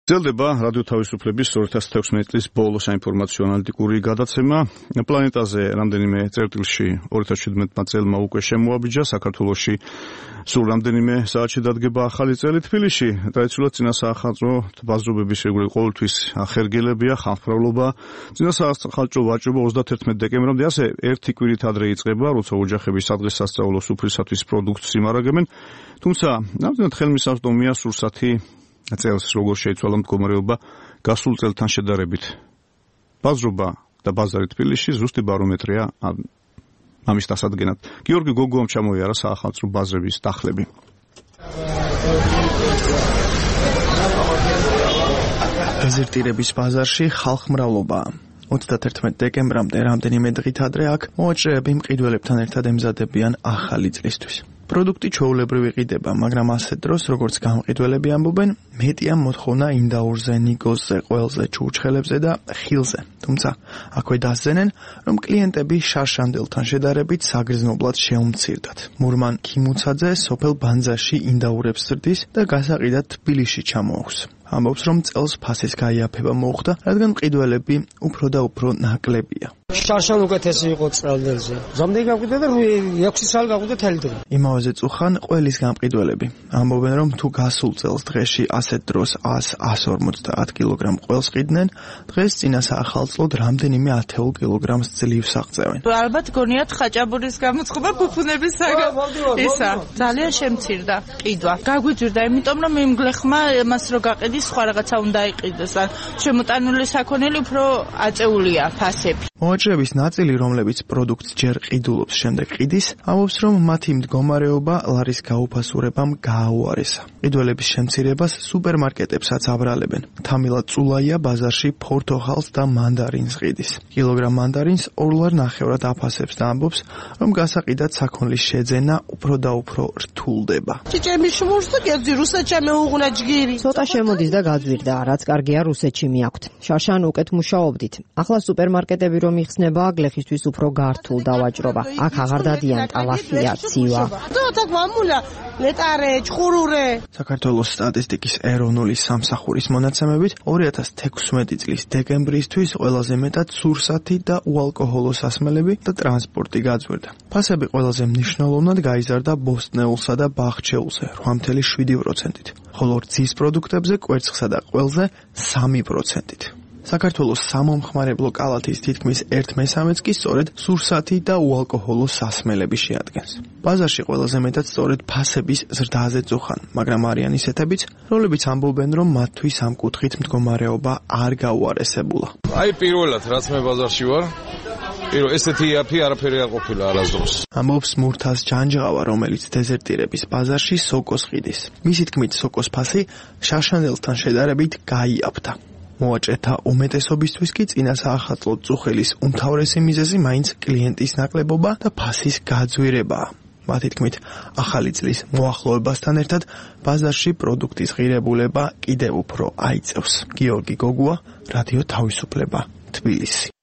გრძელდება რადიო თავისუფლების 2016 წლის ბოლო საინფორმაციო ანალიტიკური გადაცემა. პლანეტაზე რამდენიმე წერტილში 2017 წელმა უკვე შემოაბიჯა, საქართველოში სულ რამდენიმე საათში დადგება ახალი წელი. თბილისში ტრადიციულად წინასახელწლო ბაზრობების რეგულარული ყოველთვის ახერგელებია, ხალხმრავლობა. წინასახელწლო ვაჭრობა 31 დეკემბრამდე, ასე ერთი კვირით ადრე იწყება, როცა ოჯახები სადღესასწაულო სუფრისათვის პროდუქტს იმარაგებენ. თუმცა ნამდვილად ხელმისაწვდომია სურსათი წელს როგორ შეიცვალა მდგომარეობა გასულ წელთან შედარებით. ბაზრობა და ბაზარი თბილისში ზუსტი ბარომეტრია ამის დასადგენად. გიორგი გოგუამ ჩამოიარა საახალწლო ბაზრების დახლები. გაზირტირების ბაზარში ხალხმრავლობაა. 31 დეკემბრამდე რამდენიმე დღით ადრე აქ მოაჭრეები მყიდველებთან ერთად ემზადებიან ახალი წლისთვის. პროდუქტი ჩვეულებრივ იყიდება, მაგრამ ასე დროს, როგორც გამყიდველები ამბობენ, მეტია მოთხოვნა ინდაურზე, ნიგოზზე, ყველზე, ჩურჩხელებზე და ხილზე. თუმცა, აქვე დასძენენ, რომ კლიენტები შარშანდელთან შედარებით საგრძნობლად შეუმცირდათ. მურმან ქიმუცაძე სოფელ ბანძაში ინდაურებს ზრდის და გასაყიდად თბილისში ჩამოაქვს. ამბობს, რომ წელს ფასის გაიაფება მოხდა, რადგან მყიდველები უფრო და უფრო ნაკლებია. შარშან უკეთესი იყო წელდელზე. ზამთარი გაგვიდა და 6 წელი გაგვიდა თელი დღე. იმავეზე წუხან ყველის გამყიდველები. ამბობენ, რომ თუ გასულ წელს დღეში ასეთ დროს 100-150 კილოგრამ ყველს ყიდნენ, დღეს წინასახელწლოდ რამდენიმე 10 კილოგრამს ძლივს აღწევენ. ალბათ გონიათ ხაჭაბურის გამოწყობა ფუფუნების ისა. ძალიან შემცირდა ყიდვა. გაგვიძვირდა, იმიტომ რომ იმ გლეხმა მას რო გაყიდის, სხვა რაღაცა უნდა იყიდეს. ან შემოტანილი საქონელი უფრო აწეულია ფასები. მოაჭრეების ნაწილი, რომლებიც პროდუქტს ჯერ ყიდულობს, შემდეგ ყიდის, ამბობს, რომ მათი მდგომარეობა ლარის გაუფასურებამ გააუარესა. ყიდველების შემცირებას სუპერმარკეტებსაც აბრალებენ. თამილად წულაია ბაზარში ფორთოხალს და მანდარინს ყიდის. კილოგრამ მანდარინს 2 ლარ ნახევრად აფასებს და ამბობს, რომ გასაყიდად საქონლის შეძენა უფრო და უფრო რთულდება. ჭიჭები შმურს და კერძი რუსეთში მეუღუნა ჯგირი. ცოტა შემოდის და გაძვირდა, რაც კარგია რუსეთში მიაქვთ. შარშან უკეთ მუშაობდით. ახლა სუპერმარკეტები რომ იხსნება, გლეხისთვის უფრო გართულ დავაჭრობა. აქ აღარ დადიან ტალახია, ცივა. თოთაკ მამულა, ლეტარე, ჩხურულე. საქართველოს სტატისტიკის ეროვნული სამსახურის მონაცემებით 2016 წლის დეკემბრისთვის ყველაზე მეტად სურსათი და უალკოჰოლო სასმელები და ტრანსპორტი გაძვირდა. ფასები ყველაზე მნიშვნელოვნად გაიზარდა ბოსტნეულსა და ბახჩეულზე 8.7%-ით, ხოლო რძის პროდუქტებზე, კვერცხსა და ყველზე 3%-ით. საქართველოს სამომხმარებლო კალათის თითქმის 1/3-ს კი სწორედ სურსათი და უალკოჰოლო სასმელები შეადგენს. ბაზარში ყველაზე მეტად სწორედ ფასების ზრდაზე წუხან, მაგრამ არიან ისეთებიც, რომლებიც ამბობენ, რომ მათთვის ამ კუთხით მდგომარეობა არ გაუარესებულა. პირველად რაც მე ბაზარში ვარ, ესეთი იაფი არაფერი არ ყოფილა არასდროს. ამბობს მურთას ჯანჯღავა, რომელიც დეზერტირების ბაზარში სოკოს ყიდის. მისი თქმით, სოკოს ფასი შარშანდელთან შედარებით გაიაფთა. მოაჭრეთა უმეტესობისთვის კი წინასახელწლო წუხელის უმთავრესი მიზეზი მაინც კლიენტის ნაკლებობა და ფასის გაძვირებაა. მათი თქმით, ახალი წლის მოახლოებასთან ერთად ბაზარში პროდუქტის ღირებულება კიდევ უფრო აიწევს. გიორგი გოგუა, რადიო თავისუფლება, თბილისი.